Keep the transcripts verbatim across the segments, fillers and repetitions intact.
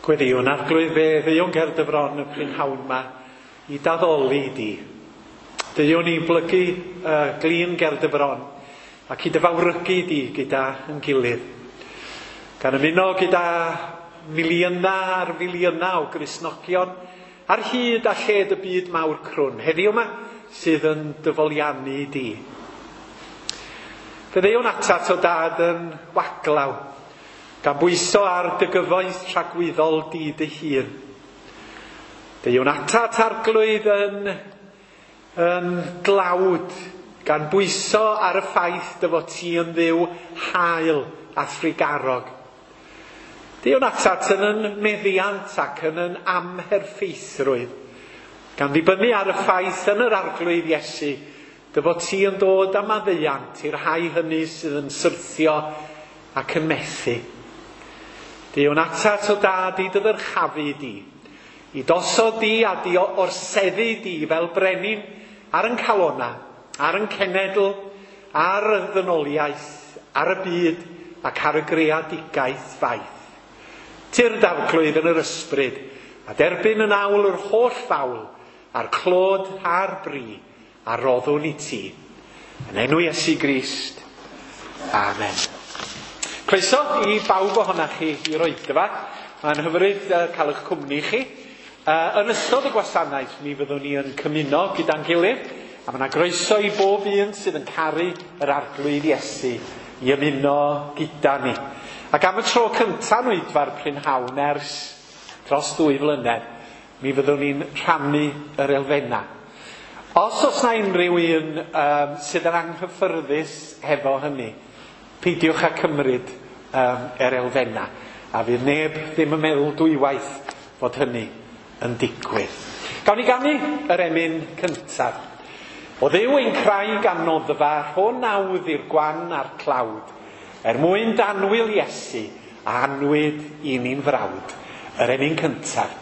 Gweddïwn Arglwydd fe ddeuwn ger dy fron y prynhawn 'ma i d'addoli di. Deuwn i blygu uh, glin ger dy fron ac i dy fawrygu di gyda yn gilydd. Gan ymuno gyda miliynau ar filiynau o Gristnogion ar hyd a lled y byd mawr crwn heddiw yma sydd yn dyfoliannu di. Fe ddeuwn atat o dad yn waglaw, gan bwyso ar dy gyfoeth tragwyddol di dy hun. Deuwn atat Arglwydd yn, yn glawd, gan bwyso ar y ffaith dy fod ti yn Dduw hael a thrugarog. Deuwn atat yn yn meddiant ac yn yn amherffeithrwydd, gan ddibynnu ar y ffaith yn yr Arglwydd Iesu, dy fod ti yn dod â maddeuant i'r rhai hynny sydd yn syrthio ac yn methu. Deuwn atat o dad i dy ddyrchafu di, i dosod di a di orseddu di fel brenin ar yn calona, ar yn cenedl, ar y ddynoliaeth, ar y byd ac ar y greadigaeth faith. Tyrd Arglwydd yn yr ysbryd, a derbyn yn awl yr holl fawl, a'r clod a'r bri, a roddwn i ti. Yn enw Iesu Grist. Amen. Croeso i bawb ohonoch chi i'r oedfa. Mae'n hyfryd cael eich cwmni chi. Uh, yn ystod y gwasanaeth, mi fyddwn ni yn cymuno gyda'n gilydd, a mae yna groeso i bob un sydd yn caru yr Arglwydd Iesu i ymuno gyda ni. Ac am y tro cyntaf yn oedfa'r prynhawn ers dros dwy flynedd, mi fyddwn ni'n rhannu yr elfennau. Os oes na unrhyw un um, sydd yn anghyffyrddus hefo hynny, peidiwch â cymryd um, yr elfennau, a fydd neb ddim yn meddwl dwywaith fod hynny yn digwydd. Gawn ni ganu yr emyn cyntaf. O Dduw ein craig a noddfa, rho nawdd i'r gwan a'r tlawd, er mwyn danwyl Iesu a anwyd i ni'n frawd. Yr emyn cyntaf.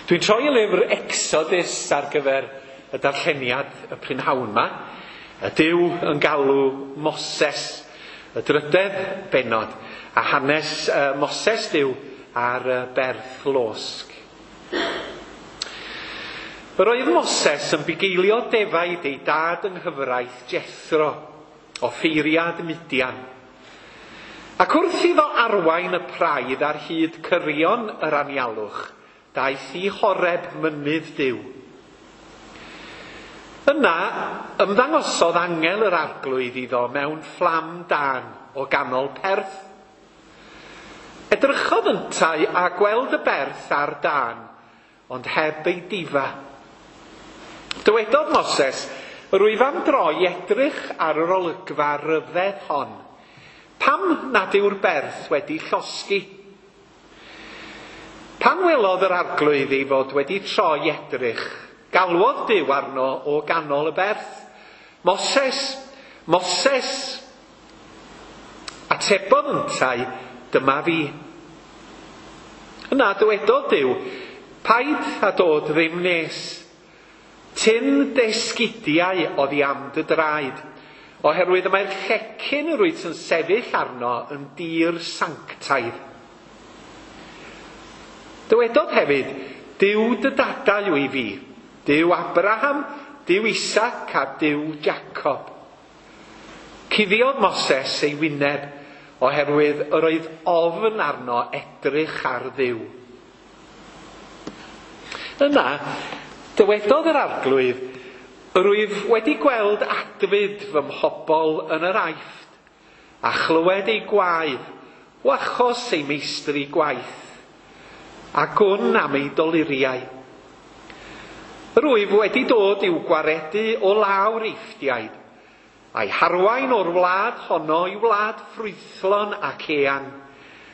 Dwi'n troi y lyfr Exodus ar gyfer y darlleniad y prynhawn yma. Y Duw yn galw Moses, y drydedd bennod, a hanes uh, Moses Duw ar y berth losg. Yr oedd Moses yn bugeilio defaid ei dad yng nghyfraith Jethro, offeiriad Midian. Ac wrth iddo arwain y praidd ar hyd cyrion yr anialwch, daeth i Horeb mynydd Duw. Yna ymddangosodd angel yr Arglwydd iddo mewn fflam dân o ganol perth. Edrychodd yntau a gweld y berth ar dân, ond heb ei difa. Dywedodd Moses, rwyf am droi edrych ar yr olygfa ryfedd hon. Pam nad yw'r berth wedi llosgi? Pan welodd yr Arglwydd ei fod wedi troi edrych, galwodd Duw arno o ganol y berth. Moses, Moses! Atebodd yntau, dyma fi. Yna dywedodd Duw, paid a dod ddim nes. Tyn dy esgidiau oddi am dy draed, oherwydd y mae'r llecyn yr wyt yn sefyll arno yn dir sanctaidd. Dywedodd hefyd, Duw dy dadau yw i fi, Duw Abraham, Duw Isaac a Duw Jacob. Cuddiodd Moses ei wyneb, oherwydd yr oedd ofn arno edrych ar Dduw. Yna, dywedodd yr Arglwydd, rwyf wedi gweld adfyd fy mhobl yn yr Aifft, a chlywed ei gwaedd, o achos ei meistri gwaith, a gwn am ei doluriau. Rwyf wedi dod i'w gwaredu o lawr Eifftiaid, a'i harwain o'r wlad honno i wlad ffrwythlon ac eang,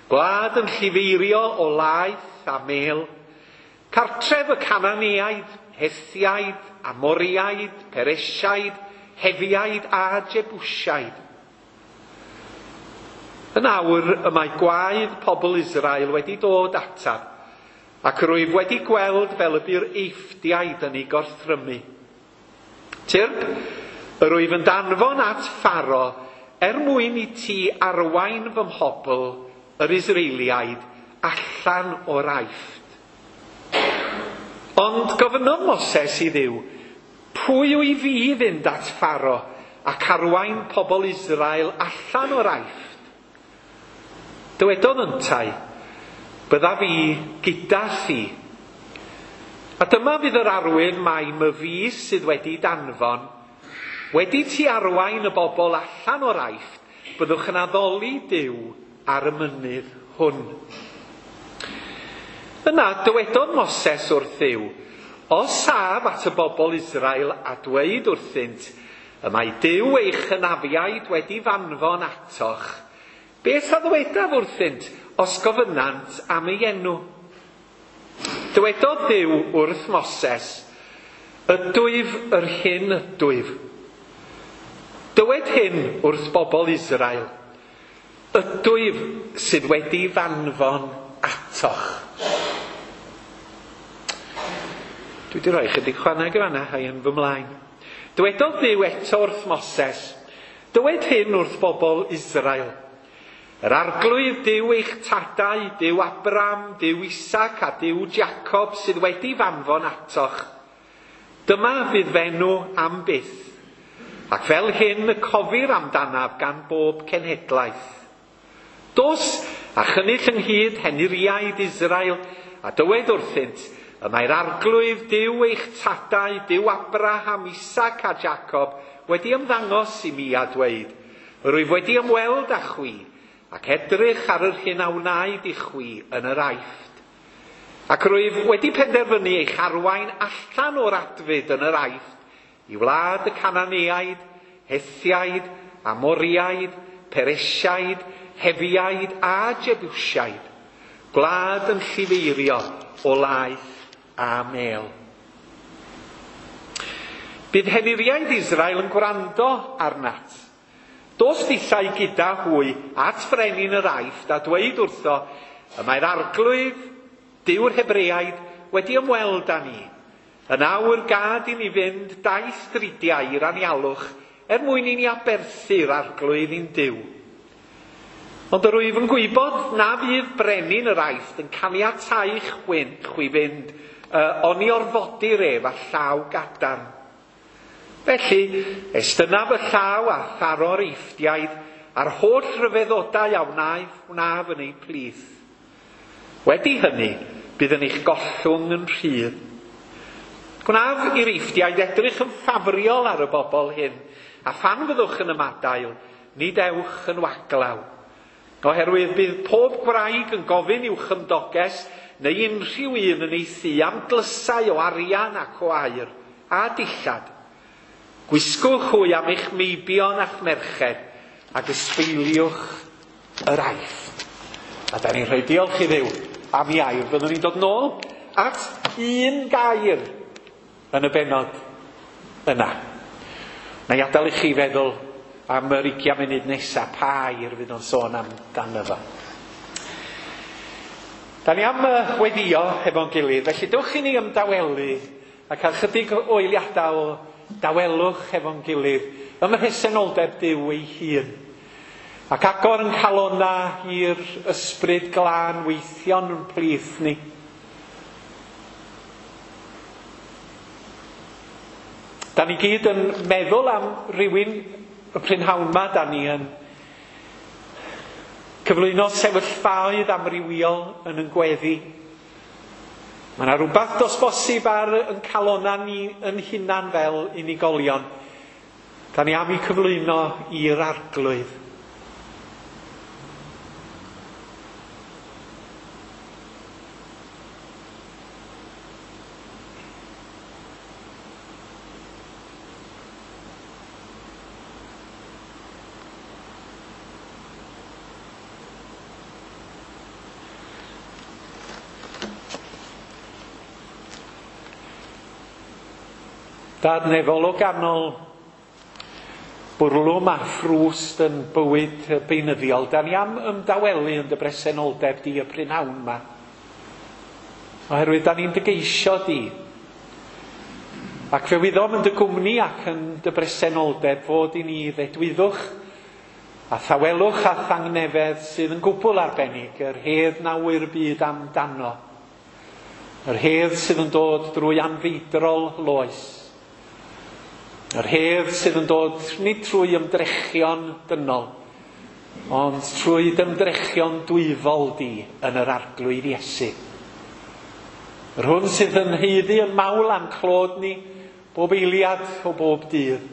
gwlad yn llifeirio o laeth a mêl, cartref y Cananeaid, Hethiaid, Amoriaid, Peresiaid, Hefiaid a Jebusiaid. Yn awr y mae gwaedd pobl Israel wedi dod ataf, ac rwyf wedi gweld fel y bu'r Eifftiaid yn ei gorthrymu. Tyrd, yr wyf yn danfon at Pharo er mwyn i ti arwain fy mhobl, yr Israeliaid, allan o'r Aifft. Ond gofynnodd Moses i Dduw, pwy yw i fi fynd at Pharo ac arwain pobl Israel allan o'r Aifft? Dywedodd yntau, byddaf fi gyda thi. A dyma fydd yr arwydd mai myfi sydd wedi danfon. Wedi ti arwain y bobl allan o'r Aifft, byddwch yn addoli Duw ar y mynydd hwn. Yna dywedodd Moses wrth Dduw, os af at y bobl Israel a dweud wrthynt, y mae Duw eich hynafiaid wedi fanfon atoch, beth a ddwedaf wrthynt os gofynant am ei enw? Dywedodd Duw wrth Moses, ydwyf yr hyn ydwyf. Dywed hyn wrth bobl Israel, ydwyf sydd wedi fanfon atoch. Dwi wedi rhoi chydig chwaneg yn fan'na, a'i yn fy mlaen. Dywedodd Duw eto wrth Moses, dywed hyn wrth bobl Israel, yr arglwydd Duw eich tadau, Duw Abraham, Duw Isaac a Duw Jacob sydd wedi fanfon atoch. Dyma fydd fenw am byth, ac fel hyn y cofir amdanaf gan bob cenhedlaeth. Dos a chynnull ynghyd henuriaid Israel, a dywed wrthynt, y mae'r arglwydd Duw eich tadau, Duw Abraham, Isaac a Jacob, wedi ymddangos i mi a dweud, rwyf wedi ymweld â chwi, ac edrych ar yr hyn a wnaed i chwi yn yr Aifft. Ac rwyf wedi penderfynu eich arwain allan o'r adfyd yn yr Aifft, i wlad y Cananeaid, Hethiaid, Amoriaid, Peresiaid, Hefiaid a Jebusiaid, gwlad yn llifeirio o laeth a mêl. Bydd henuriaid Israel yn gwrando arnat. Dos dithau gyda hwy at frenin yr Aifft a dweud wrtho, y mae'r arglwydd, Duw'r Hebreaid, wedi ymweld â ni. Yn awr gad i ni fynd daith dridiau i'r anialwch er mwyn i ni aberthu'r arglwydd i'n Duw. Ond yr wyf yn gwybod na fydd brenin yr Aifft yn caniatáu chwi, chwi fynd, uh, oni orfodir ef â llaw gadarn. Felly, estynaf y llaw a tharo'r Eifftiaid a'r holl ryfeddodau a wnaeth wnaf yn eu plith. Wedi hynny, bydd yn eich gollwng yn rhydd. Gwnaf i'r Eifftiaid edrych yn ffafriol ar y bobl hyn, a phan fyddwch yn ymadael, nid ewch yn waglaw. Oherwydd bydd pob gwraig yn gofyn i'w chymdoges neu unrhyw un yn ei thŷ am dlysau o arian ac o aur a dillad. Gwisgwch hwy am eich meibion a'ch merched ac ysbeiliwch yr Aifft. A da ni'n rhoi diolch i Dduw am ei air. Byddwn ni'n dod nôl at un gair yn y bennod yna. Na i adael i chi feddwl am yr ugian munud nesaf, pa air fydd o'n sôn amdano fo. Da ni am weddio efo'n gilydd, felly dewch i ni ymdawelu a cael chydig o eiliadau o dawelwch efo'n gilydd ym mhresenoldeb Duw ei hun. Ac agor yn calona i'r ysbryd glân weithio'n yn plith ni. Da ni gyd yn meddwl am rywun y prynhawn ma, da ni yn cyflwyno sefyllfaoedd amrywiol yn yn gweddi. Mae yna rhywbeth dos bosib ar yn calona ni yn hunan fel unigolion. Da ni am i cyflwyno i'r arglwydd. Dad nefol o ganol bwrlwm a ffrwst yn bywyd beunyddiol, da ni am ymdawelu yn dy bresenoldeb di y prynhawn yma. Oherwydd da ni'n dy geisio di. Ac fe wyddom yn dy gwmni ac yn dy bresenoldeb fod i ni ddedwyddwch a thawelwch a thangnefedd sydd yn gwbl arbennig, yr hedd na ŵyr byd amdano. Yr hedd sydd yn dod drwy anfeidrol loes. Yr hedd sydd yn dod nid trwy ymdrechion dynol, ond trwy ymdrechion dwyfol di yn yr Arglwydd Iesu. Yr hwn sydd yn haeddu yn mawl a'n clod ni bob eiliad o bob dydd.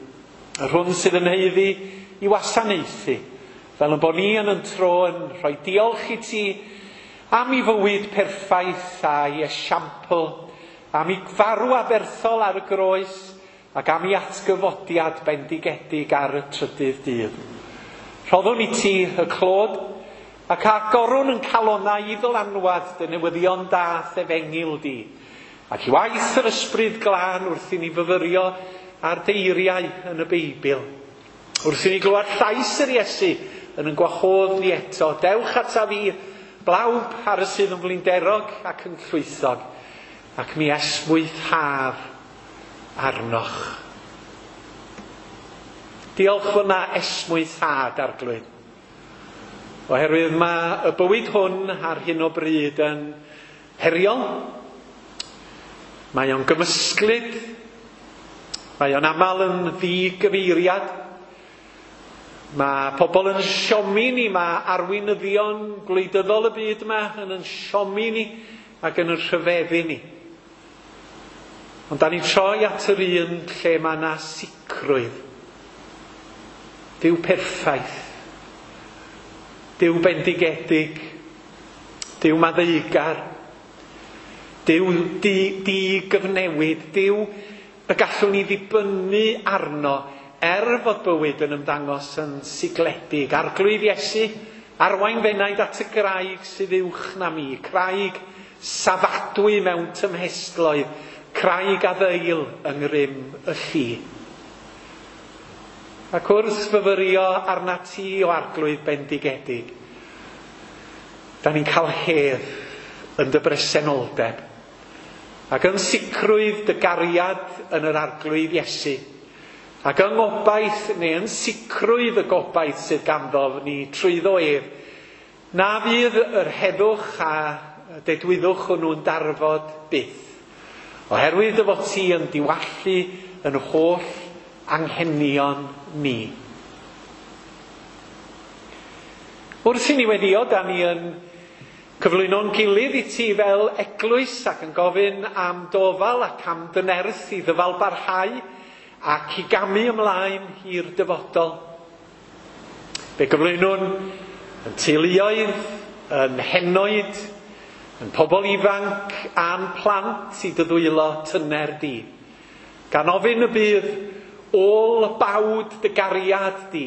Yr hwn sydd yn haeddu i wasanaethu, fel yn bod ni yn yn tro yn rhoi diolch i ti am i fywyd perffaith a'i esiampl, am i farw aberthol ar y groes, ac am i atgyfodiad bendigedig ar y trydydd dydd. Rhoddwn i ti y clod, ac agorwn yn calonau i ddylanwad dy newyddion da efengyl di, ac i waith yr ysbryd glân wrth i ni fyfyrio ar deiriau yn y Beibl. Wrth i ni glywed llais yr Iesu yn yn gwahodd ni eto, dewch ata fi, blawb ar y sydd yn flinderog ac yn llwythog, ac mi esmwythaf arnoch. Diolch fod na esmwythâd, Arglwydd. Oherwydd mae y bywyd hwn ar hyn o bryd yn heriol. Mae o'n gymysglyd. Mae o'n aml yn ddigyfeiriad. Mae pobl yn siomi ni, mae arweinyddion gwleidyddol y byd yma yn yn siomi ni ac yn yn rhyfeddu ni. Ond da ni'n troi at yr un lle mae yna sicrwydd. Duw perffaith. Duw bendigedig. Duw maddeugar. Duw di, di gyfnewid. Duw y gallwn ni ddibynnu arno er fod bywyd yn ymddangos yn sigledig. Arglwydd Iesu, arwain fenaid at y graig sydd uwch na mi. Craig safadwy mewn tymhestloedd. Craig a ddeil yng ngrym y lli. Ac wrth fyfyrio arna ti o Arglwydd bendigedig, da ni'n cael hedd yn dy bresenoldeb, ac yn sicrwydd dy gariad yn yr Arglwydd Iesu, ac yng ngobaith neu yn sicrwydd y gobaith sydd ganddo ni trwyddo ef, na fydd yr heddwch a dedwyddwch hwnnw'n darfod byth. Oherwydd dy fod ti yn diwallu yn holl anghenion ni. Wrth i ni weddio, da ni yn cyflwyno'n gilydd i ti fel eglwys ac yn gofyn am dofal ac am dynerth i ddyfal barhau ac i gamu ymlaen i'r dyfodol. Fe gyflwynwn yn teuluoedd, yn henoed, yn pobl ifanc a'n plant i dy ddwylo tyner di. Gan ofyn y bydd ôl bawd dy gariad di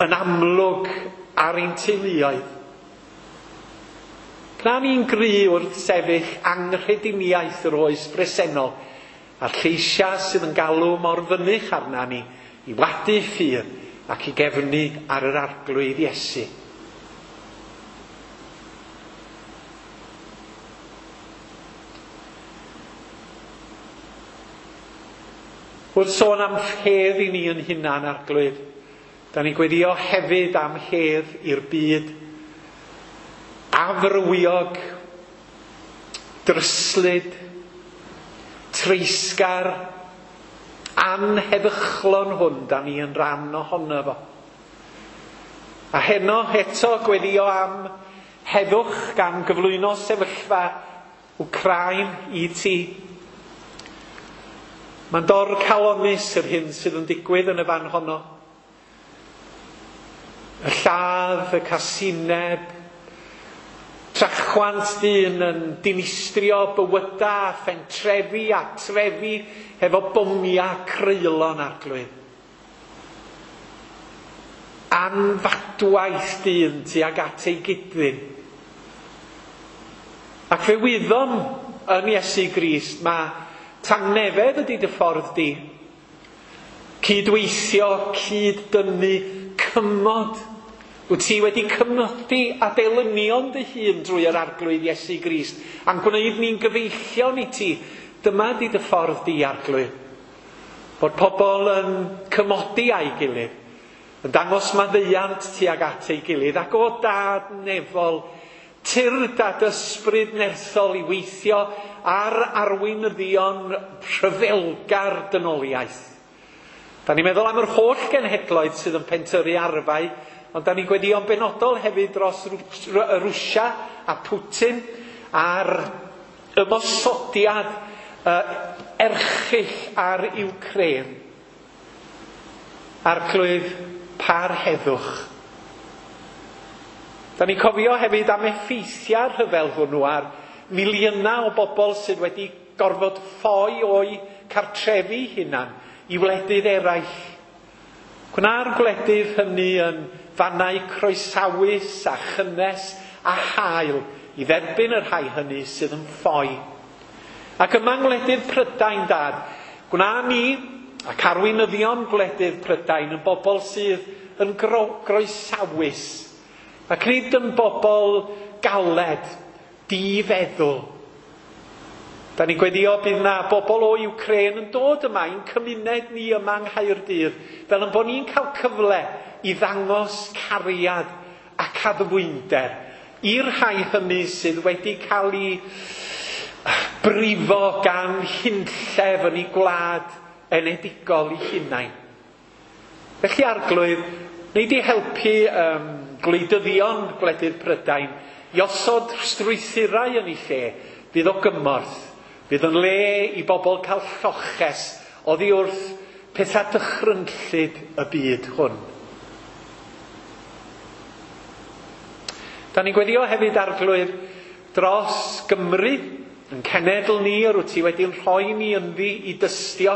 yn amlwg ar ein teuluoedd. Gwna ni'n gry wrth sefyll anghrediniaeth yr oes bresennol a'r lleisiau sydd yn galw mor fynych arna ni i wadu ffydd ac i gefnu ar yr Arglwydd Iesu. Wrth sôn am hedd i ni yn hunan, Arglwydd, da ni'n gweddio hefyd am hedd i'r byd afrywiog, dryslyd, treisgar, anheddychlon hwn, da ni yn rhan ohono fo. A heno eto gweddio am heddwch gan gyflwyno sefyllfa Wcráin i ti. Mae'n dor calonus yr hyn sydd yn digwydd yn y fan honno. Y lladd, y casineb, trachwant dyn yn dinistrio bywyda a phentrefi a trefi hefo bomiau creulon, Arglwydd. Anfadwaith dyn tuag at ei gydddyn. Ac fe wyddom yn Iesu Grist mae Tangnefedd ydy dy ffordd di. Cydweithio, cyd-dynnu, cymod. Wyt ti wedi cymodi a delynion dy hun drwy yr Arglwydd Iesu Grist, a'n gwneud ni'n gyfeillion i ti. Dyma di dy ffordd di, Arglwydd. Bod pobl yn cymodi â'i gilydd, yn dangos maddeuant tuag at ei gilydd, ac o Dad nefol, tyrd a ysbryd nerthol i weithio ar arweinyddion rhyfelgar dynoliaeth. Da ni'n meddwl am yr holl genhedloedd sydd yn pentyrru arfau, ond da ni'n gweddïo'n benodol hefyd dros Rwsia a Putin a'r ymosodiad uh, erchyll ar Ukraine. Arglwydd, par heddwch. Da ni'n cofio hefyd am effeithiau'r rhyfel hwnnw ar miliynau o bobl sydd wedi gorfod ffoi o'u cartrefi hunan i wledydd eraill. Gwna'r gwledydd hynny yn fannau croesawus a chynnes a hael i dderbyn y rhai hynny sydd yn ffoi. Ac yma yng ngwledydd Prydain, Dad, gwna ni ac arweinyddion gwledydd Prydain yn bobl sydd yn gro- groesawus ac nid yn bobl galed, difeddwl. Da ni'n gweddio bydd na bobl o Ukraine yn dod yma i'n cymuned ni yma yng Nghaerdydd, fel yn bod ni'n cael cyfle i ddangos cariad ac addfwynder i'r rhai hynny sydd wedi cael ei brifo gan hunllef yn ei gwlad enedigol ei hunain. Felly Arglwydd, wnei di helpu um, gwleidyddion gwledydd Prydain i osod strwythurau yn ei lle fydd o gymorth, fydd yn le i bobl cael lloches oddi wrth pethau dychrynllyd y byd hwn. Da ni'n gweddio hefyd, Arglwydd, dros Gymru, yn cenedl ni, yr wyt ti wedi'n rhoi ni ynddi i dystio,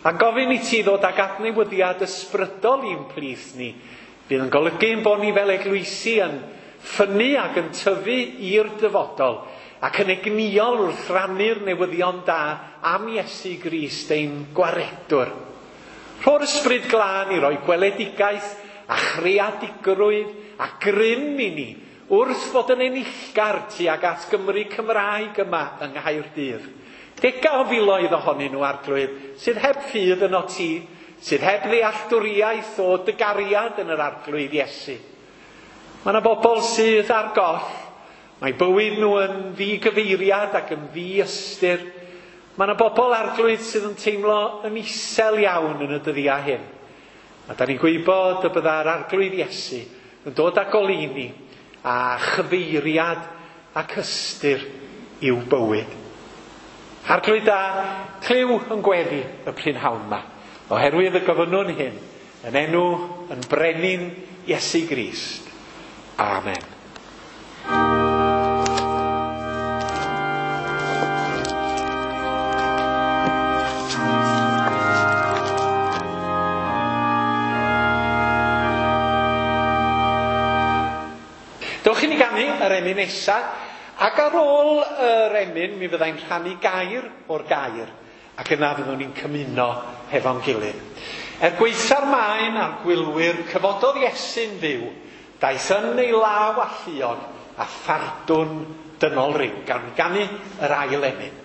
a gofyn i ti ddod ag adnewyddiad ysbrydol i'n plith ni, fydd yn golygu ein bod ni fel eglwysi yn ffynnu ac yn tyfu i'r dyfodol, ac yn egnïol wrth rannu'r newyddion da am Iesu Grist ein gwaredwr. Rho'r ysbryd glân i roi gweledigaeth a chreadigrwydd a grym i ni wrth fod yn enillgar tuag at Gymru Cymraeg yma yng Nghaerdydd. Dega o filoedd ohonyn nhw, Arglwydd, sydd heb ffydd yno ti, sydd heb ddealltwriaeth o dy gariad yn yr Arglwydd Iesu. Mae yna bobl sydd ar goll. Mae bywyd nhw yn ddigyfeiriad ac yn ddiystyr. Mae yna bobl, Arglwydd, sydd yn teimlo yn isel iawn yn y dyddiau hyn. A da ni'n gwybod y bydda'r Arglwydd Iesu yn dod â goleuni a chyfeiriad ac ystyr i'w bywyd. Arglwydd da, clyw yn gweddi y prynhawn yma, oherwydd y gofynnwn hyn yn enw yn brenin Iesu Grist. Amen. Dewch i ni ganu yr emyn nesa, ac ar ôl yr emyn mi fyddai'n rhannu gair o'r gair, ac yna fyddwn ni'n cymuno hefo'n gilydd. Er gwaetha'r maen a'r gwylwyr, cyfododd Iesu'n fyw, daeth yn ei law alluog a phardwn dynol ryw, gan ganu yr ail emyn.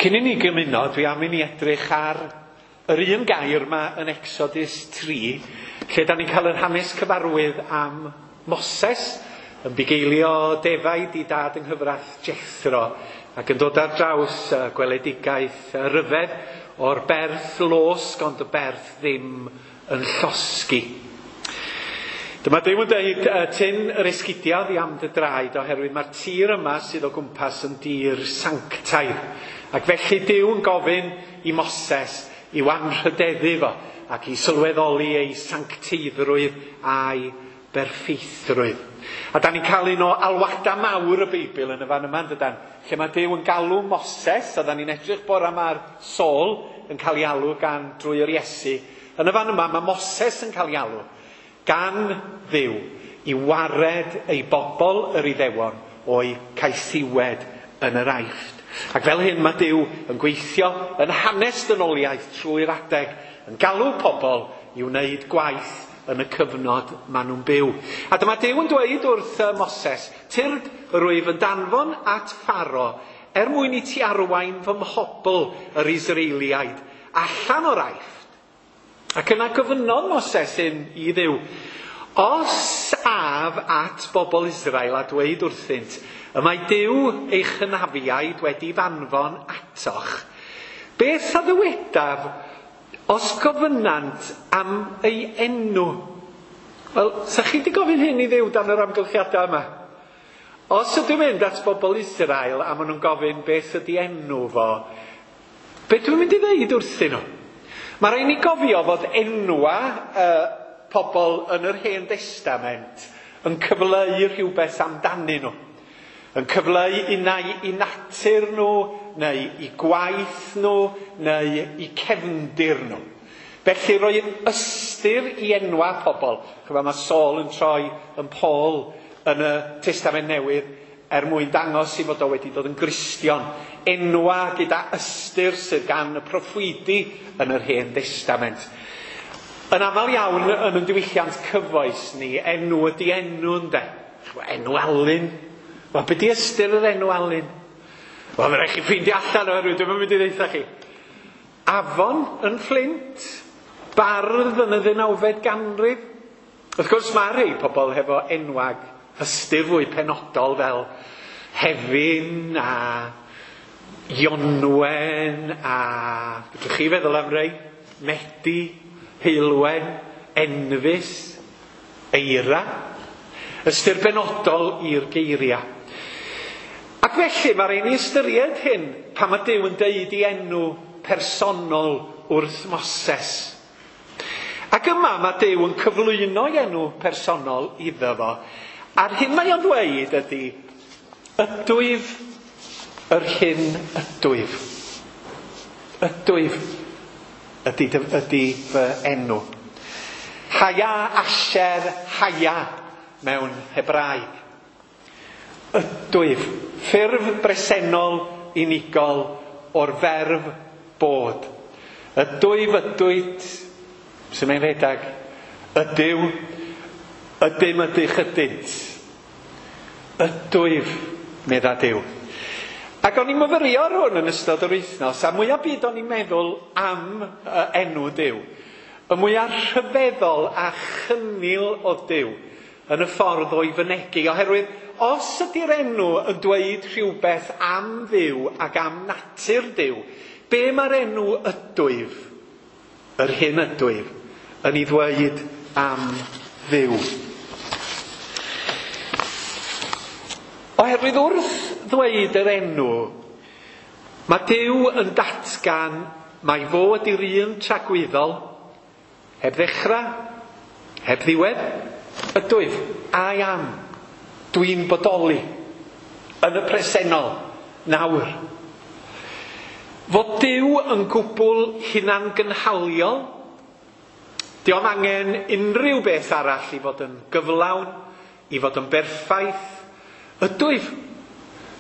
Cyn i ni gymuno, dwi am i ni edrych ar yr un gair yma yn Exodus tri, lle da ni'n cael yr hanes cyfarwydd am Moses yn bugeilio defaid i dad yng nghyfraith Jethro ac yn dod ar draws gweledigaeth ryfedd o'r berth losg, ond y berth ddim yn llosgi. Dyma Duw yn dweud, tyn yr esgidiau oddi am dy draed, oherwydd mae'r tir yma sydd o gwmpas yn dir sanctaidd. Ac felly Duw yn gofyn i Moses i'w anrhydeddu fo ac i sylweddoli ei sancteiddrwydd a'i berffeithrwydd. A da ni'n cael un o alwadau mawr y Beibl yn y fan yma, dydan? Lle mae Duw yn galw Moses, a da ni'n edrych bore yma ar Saul yn cael ei alw gan drwy yr Iesu. Yn y fan yma mae Moses yn cael ei alw gan Dduw i wared ei bobl yr Iddewon o'i caethiwed yn yr Aifft. Ac fel hyn mae Duw yn gweithio yn hanes dynoliaeth trwy'r adeg, yn galw pobl i wneud gwaith yn y cyfnod maen nhw'n byw. A dyma Duw yn dweud wrth Moses, tyrd rwyf yn danfon at Pharo er mwyn i ti arwain fy mhobl yr Israeliaid allan o'r Aifft. Ac yna gofynnodd Moses hyn i Dduw, os af at bobl Israel a dweud wrthynt, y mae Duw eich hynafiaid wedi fanfon atoch, beth a ddywedaf os gofynant am ei enw? Wel, sa chi wedi gofyn hyn i Dduw dan yr amgylchiadau yma? Os ydw i'n mynd at bobl Israel a maen nhw'n gofyn beth ydy enw fo, beth dwi'n mynd i ddeud wrthyn nhw? Mae rhaid ni gofio fod enwa uh, pobl yn yr Hen Destament yn cyfleu rhywbeth amdanyn nhw. Yn cyfleu unai i natur nhw, neu i gwaith nhw, neu i cefndir nhw. Felly roi ystyr i enwa pobl. Chyfa mae Saul yn troi yn Paul yn y Testament Newydd er mwyn dangos i fod o wedi dod yn Gristion. Enwa gyda ystyr sydd gan y proffwydi yn yr Hen Destament. Yn aml iawn yn y diwylliant cyfoes ni, enw ydy enw ynde. Enw Alun. Wel, be di ystyr yr enw Alun? Wel, mae rhaid chi ffeindio allan oherwydd dwi'm yn mynd i ddeutha chi. Afon yn Fflint, bardd yn y ddeunawfed ganrif. Wrth gwrs mae rhai pobl hefo enwag ystyr fwy penodol fel Hefin a Ionwen a... Fedrwch chi feddwl am rei? Medi, Heulwen, Enfys, Eira. Ystyr benodol i'r geiriau. Ac felly mae rhaid ni ystyried hyn pan mae Duw yn deud i enw personol wrth Moses. Ac yma mae Duw yn cyflwyno ei enw personol iddo fo. A'r hyn mae o'n dweud ydy, ydwyf yr hyn ydwyf. Ydwyf ydy, ydy fy enw. Haya asher haya mewn Hebraeg. Ydwyf, ffurf bresennol unigol o'r ferf bod. Ydwyf, ydwyt, sy'n mae'n rhedeg, ydyw, ydym, ydych, ydynt. Ydwyf, medda Duw. Ac o'n i'n myfyrio ar hwn yn ystod yr wythnos, a mwyaf byd o'n i'n meddwl am enw Duw, y mwyaf rhyfeddol a chynnil o Duw yn y ffordd o'i fynegi, oherwydd os ydy'r enw yn dweud rhywbeth am Dduw ac am natur Duw, be mae'r enw ydwyf, yr hyn ydwyf, yn ei ddweud am Dduw? Oherwydd wrth ddweud yr enw, mae Duw yn datgan mai fo ydy'r un tragwyddol, heb ddechrau, heb ddiwedd, ydwyf, I am. Dwi'n bodoli yn y presennol, nawr. Fod Duw yn gwbl hunangynhaliol, dio'm angen unrhyw beth arall i fod yn gyflawn, i fod yn berffaith. Ydwyf.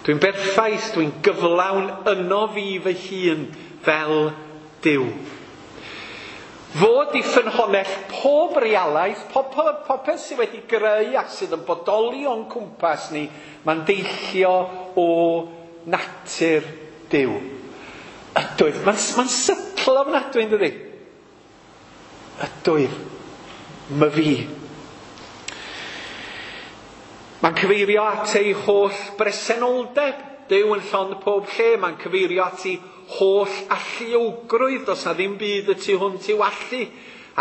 Dwi'n berffaith, dwi'n gyflawn yno fi fy hun fel Duw. Fod i ffynhonnell pob realaeth, pob, pob, popeth sydd wedi greu ac sydd yn bodoli o'n cwmpas ni, mae'n deillio o natur Duw. Ydwyf. Mae'n ma sytl ofnadwy, yn dydi? Ydwyf. My fi. Mae'n cyfeirio at ei holl bresenoldeb. Duw yn llond pob lle. Mae'n cyfeirio at ei holl alluogrwydd, does na ddim byd y tu hwnt i'w allu,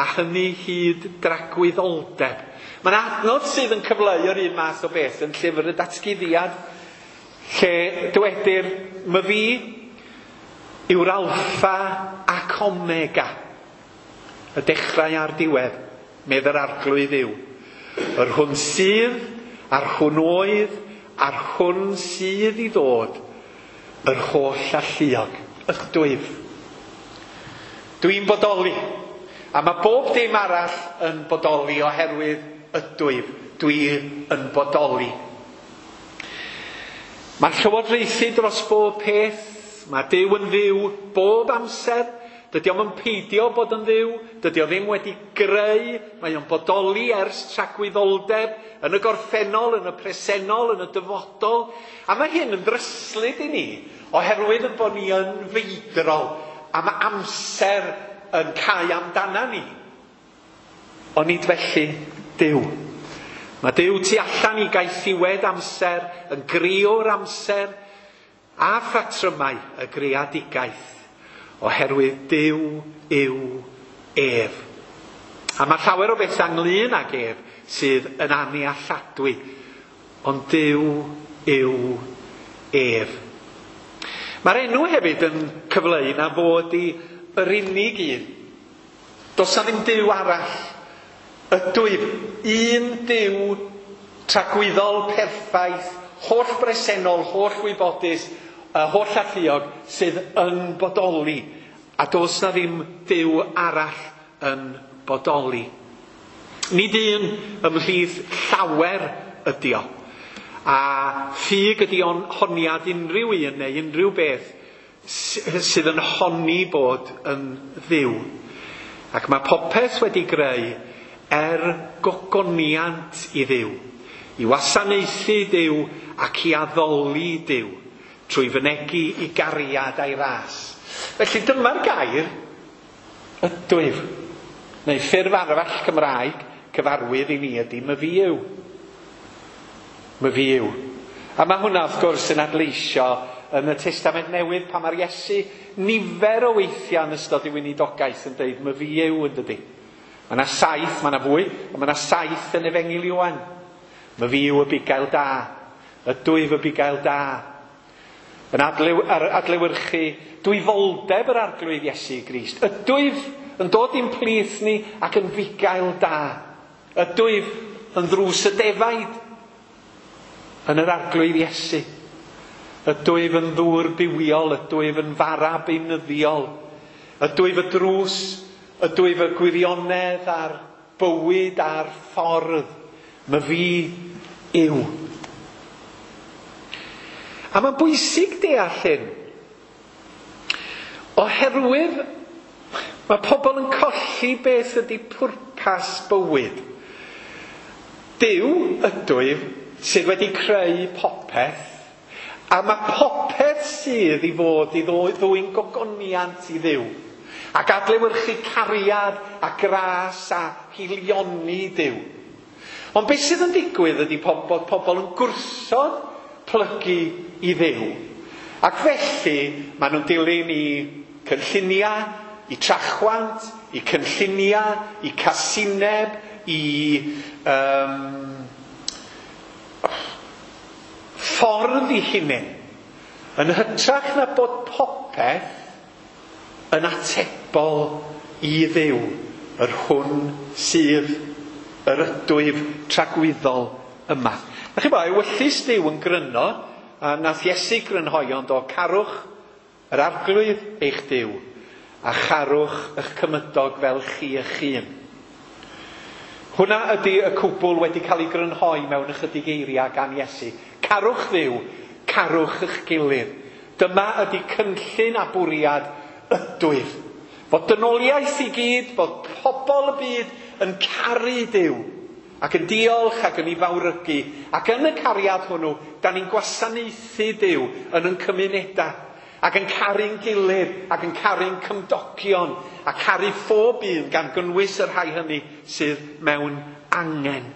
a hynny hyd dragwyddoldeb. Mae'n adnod sydd yn cyfleu yr un math o beth yn llyfr y Datguddiad, lle dywedir, my fi yw'r alffa ac omega, y dechrau a'r diwedd, medd yr Arglwydd yw. Yr hwn sydd, a'r hwn oedd, a'r hwn sydd i ddod, yr holl alluog, ydwyf. Dwi'n bodoli, a mae bob dim arall yn bodoli oherwydd ydwyf. Dwi yn bodoli. Mae'n llywodraethu dros bob peth. Mae Duw yn fyw bob amser. Dydy o'm yn peidio bod yn fyw. Dydy o ddim wedi greu. Mae o'n bodoli ers tragwyddoldeb, yn y gorffennol, yn y presennol, yn y dyfodol. A mae hyn yn ddryslyd i ni, oherwydd yn bod ni yn feidrol, a mae amser yn cau amdana ni. Ond nid felly Duw. Mae Duw tu allan i gaethiwed amser, yn greo'r amser, a phatrymau y greadigaeth, oherwydd Duw yw ef. A mae llawer o bethau ynglyn ag ef sydd yn annealladwy, ond Duw yw ef. Mae'r enw hefyd yn cyfleu na fod i yr unig un. Does na ddim Duw arall. Ydwyf, un Duw tragwyddol, perffaith, holl bresennol, holl wybodus, holl alluog sydd yn bodoli. A does na ddim Duw arall yn bodoli. Nid un ymhlith llawer ydi o. A ffug ydi o'n honiad unrhyw un neu unrhyw beth sydd yn honni bod yn dduw. Ac mae popeth wedi greu er gogoniant i Dduw, i wasanaethu Duw ac i addoli Duw, trwy fynegi i gariad a'i ras. Felly dyma'r gair ydwyf, neu ffurf arall Cymraeg cyfarwydd i ni ydy myfi yw. Myfi yw. A mae hwnna wrth gwrs yn adleisio yn y Testament Newydd pan mae'r Iesu nifer o weithiau yn ystod ei weinidogaeth yn dweud myfi yw, yn dydy. Mae yna saith, mae yna fwy, ond mae yna saith yn Efengyl Ioan. Myfi yw y bugail da, ydwyf y bugail da. Yn adlew, adlewyrchu dwyfoldeb yr Arglwydd Iesu Grist. Ydwyf yn dod i'n plith ni ac yn fugail da. Ydwyf yn ddrws y defaid yn yr Arglwydd Iesu. Ydwyf yn ddŵr bywiol, ydwyf yn fara beunyddiol. Ydwyf y drws, ydwyf y gwirionedd a'r bywyd a'r ffordd. Myfi yw. A mae'n bwysig deall hyn, oherwydd mae pobl yn colli beth ydy pwrpas bywyd. Duw ydwyf sydd wedi creu popeth, a mae popeth sydd i fod i ddwyn gogoniant i Dduw, ac adlewyrchu cariad a gras a hilioni Duw. Ond beth sydd yn digwydd ydy bod pobl yn gwrthod plygu i Dduw. Ac felly maen nhw'n dilyn i cynlluniau, i trachwant, i cynlluniau, i casineb, i um, ffordd i hunain. Yn hytrach na bod popeth yn atebol i Dduw, yr hwn sydd yr ydwyf tragwyddol yma. Na chi bo, ewyllys Duw yn gryno, a nath Iesu grynhoi ond o carwch yr Arglwydd eich Duw, a charwch eich cymydog fel chi eich hun. Hwna ydy y cwbl wedi cael ei grynhoi mewn ychydig eiriau gan Iesu. Carwch Dduw, carwch eich gilydd. Dyma ydy cynllun a bwriad ydwyf. Fod dynoliaeth i gyd, bod pobl y byd yn caru Duw, ac yn diolch ac yn ei fawrygu, ac yn y cariad hwnnw, da ni'n gwasanaethu Duw yn ein cymunedau, ac yn caru'n gilydd, ac yn caru'n cymdogion, a caru phob un gan gynnwys y rhai hynny sydd mewn angen.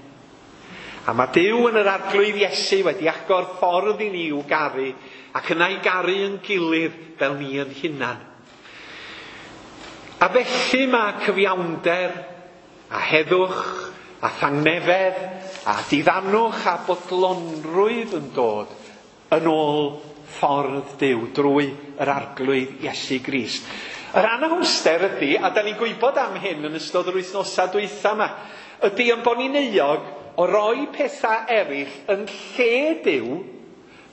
A mae Duw yn yr Arglwydd Iesu wedi agor ffordd i ni i'w garu, ac yna i garu yn gilydd fel ni yn hunan. A felly mae cyfiawnder a heddwch a thangnefedd a diddanwch a bodlonrwydd yn dod yn ôl ffordd Duw drwy yr Arglwydd Iesu Grist. Yr anhawster ydy, a da ni'n gwybod am hyn yn ystod yr wythnosau dwytha yma, ydy yn bod ni'n euog o roi pethau eraill yn lle Duw,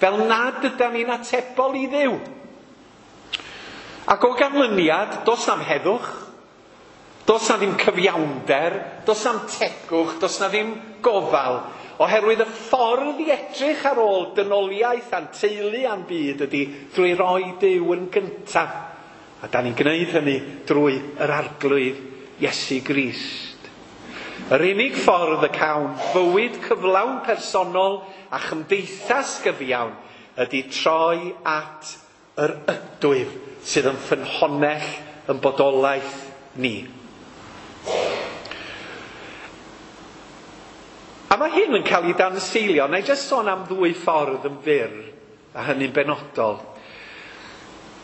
fel nad ydan ni'n atebol i Dduw. Ac o ganlyniad, does na'm heddwch, does na ddim cyfiawnder, does na'm tegwch, does na ddim gofal, oherwydd y ffordd i edrych ar ôl dynoliaeth a'n teulu a'n byd ydy drwy roi Duw yn gyntaf. A da ni'n gwneud hynny drwy yr Arglwydd Iesu Grist. Yr unig ffordd y cawn fywyd cyflawn personol a chymdeithas gyfiawn ydy troi at yr ydwyf sydd yn ffynhonnell yn bodolaeth ni. A mae hyn yn cael ei danseilio. Na i jyst sôn am ddwy ffordd yn fyr, a hynny'n benodol.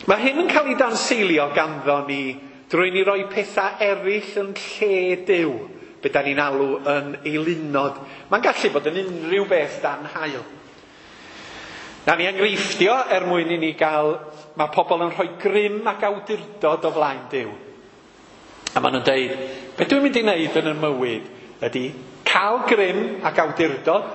Mae hyn yn cael ei danseilio ganddo ni drwy ni roi pethau eraill yn lle Duw, be da ni'n alw yn eilunod. Mae'n gallu bod yn unrhyw beth dan haul. Na ni enghreifftio er mwyn i ni gael, mae pobl yn rhoi grym ac awdurdod o flaen Duw. A maen nhw'n deud, be dwi'n mynd i wneud yn y mywyd ydy cael grym ac awdurdod,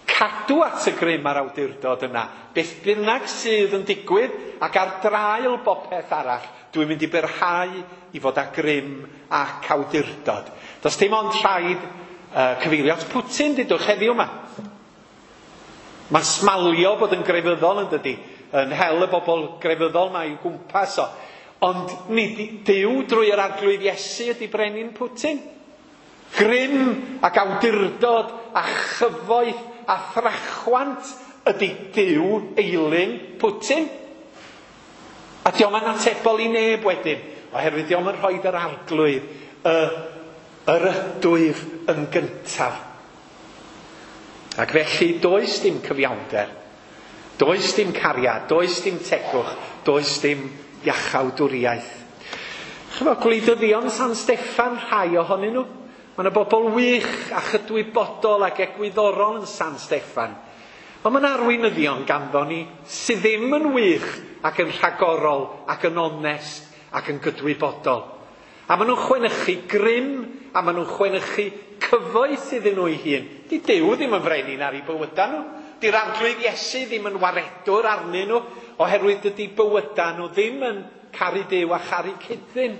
cadw at y grym a'r awdurdod yna, beth bynnag sydd yn digwydd ac ar draul bopeth arall, dwi'n mynd i byrhau i fod â grym ac awdurdod. Does dim ond rhaid uh, cyfeirio at Putin, dudwch heddiw yma. Mae'n smalio bod yn grefyddol yn dydi, yn hel y bobl grefyddol mae i'w gwmpas o. Ond nid Duw drwy yr Arglwydd Iesu ydy brenin Putin. Grym ac awdurdod a chyfoeth a thrachwant ydy Duw eilun Putin. A dio'm yn atebol i neb wedyn, oherwydd dio'm yn rhoi yr Arglwydd, y, yr ydwyf yn gyntaf. Ac felly does dim cyfiawnder, does dim cariad, does dim tegwch, does dim iachawdwriaeth. Chymod, gwleidyddion San Steffan, rhai ohonyn nhw. Mae yna bobl wych a chydwybodol ac egwyddorol yn San Steffan. Ond mae yna arweinyddion ganddo ni sydd ddim yn wych ac yn rhagorol ac yn onest ac yn gydwybodol. A maen nhw'n chwenychu grym a maen nhw'n chwenychu cyfoeth iddyn nhw eu hun. Di Duw ddim yn frenin ar eu bywydau nhw. Di'r Arglwydd Iesu ddim yn waredwr arnyn nhw, oherwydd dydy bywydau nhw ddim yn caru Duw a charu cyd-ddyn.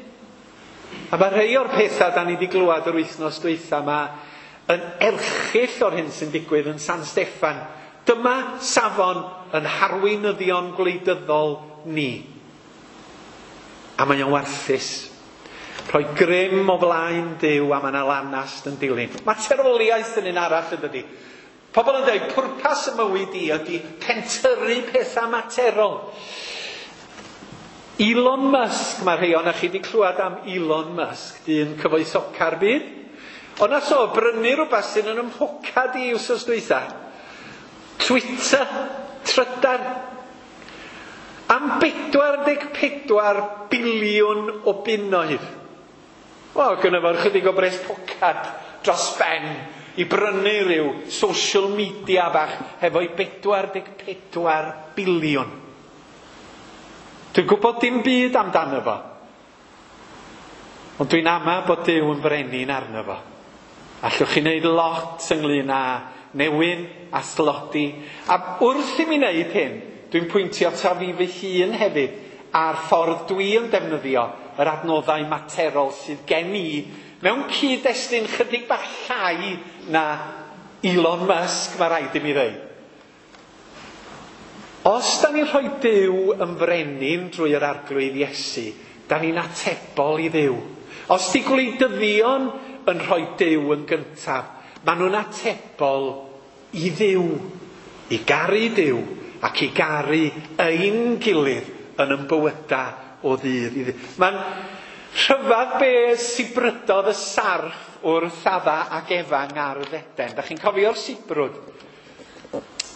A mae rhai o'r pethau da ni wedi glywed yr wythnos dwytha yma yn erchyll o'r hyn sy'n digwydd yn San Steffan. Dyma safon yn harweinyddion gwleidyddol ni. A mae o'n warthus. Rhoi grym o flaen Duw a mae yna lanast yn dilyn. Materoliaeth yn un arall yn dydi. Pobl yn dweud, pwrpas y mywyd i ydy pentyrru pethau materol. Elon Musk, mae rhai ohonoch chi wedi clywed am Elon Musk, dyn cyfoethoca'r byd. Ond nath o brynu rhywbeth sydd yn ymhocad i wsos dwytha. Twitter, trydar. Am bedwar deg pedwar biliwn o bunnoedd. Wel, gynno fo chydig o bres pocad dros ben i brynu rhyw social media bach hefo'i bedwar deg pedwar biliwn. Dwi'n gwybod dim byd amdano fo. Ond dwi'n ama bod Duw yn frenin arno fo. Allwch chi wneud lot ynglyn â newyn a thlodi. A wrth i mi wneud hyn, dwi'n pwyntio ta fi fy hun hefyd a'r ffordd dwi yn defnyddio yr adnoddau materol sydd gen i mewn cyd-destun chydig bach llai na Elon Musk, mae rhaid i mi ddeud. Os da ni'n rhoi Duw yn frenin drwy yr Arglwydd Iesu, da ni'n atebol i Dduw. Os di gwleidyddion yn rhoi Duw yn gyntaf, maen nhw'n atebol i Dduw, i garu Duw ac i garu ein gilydd yn ein bywydau o ddydd i ddydd. Mae'n rhyfedd be sibrydodd y sarff wrth Adda ac Efa yng Ngardd Eden. Da chi'n cofio'r sibrwd?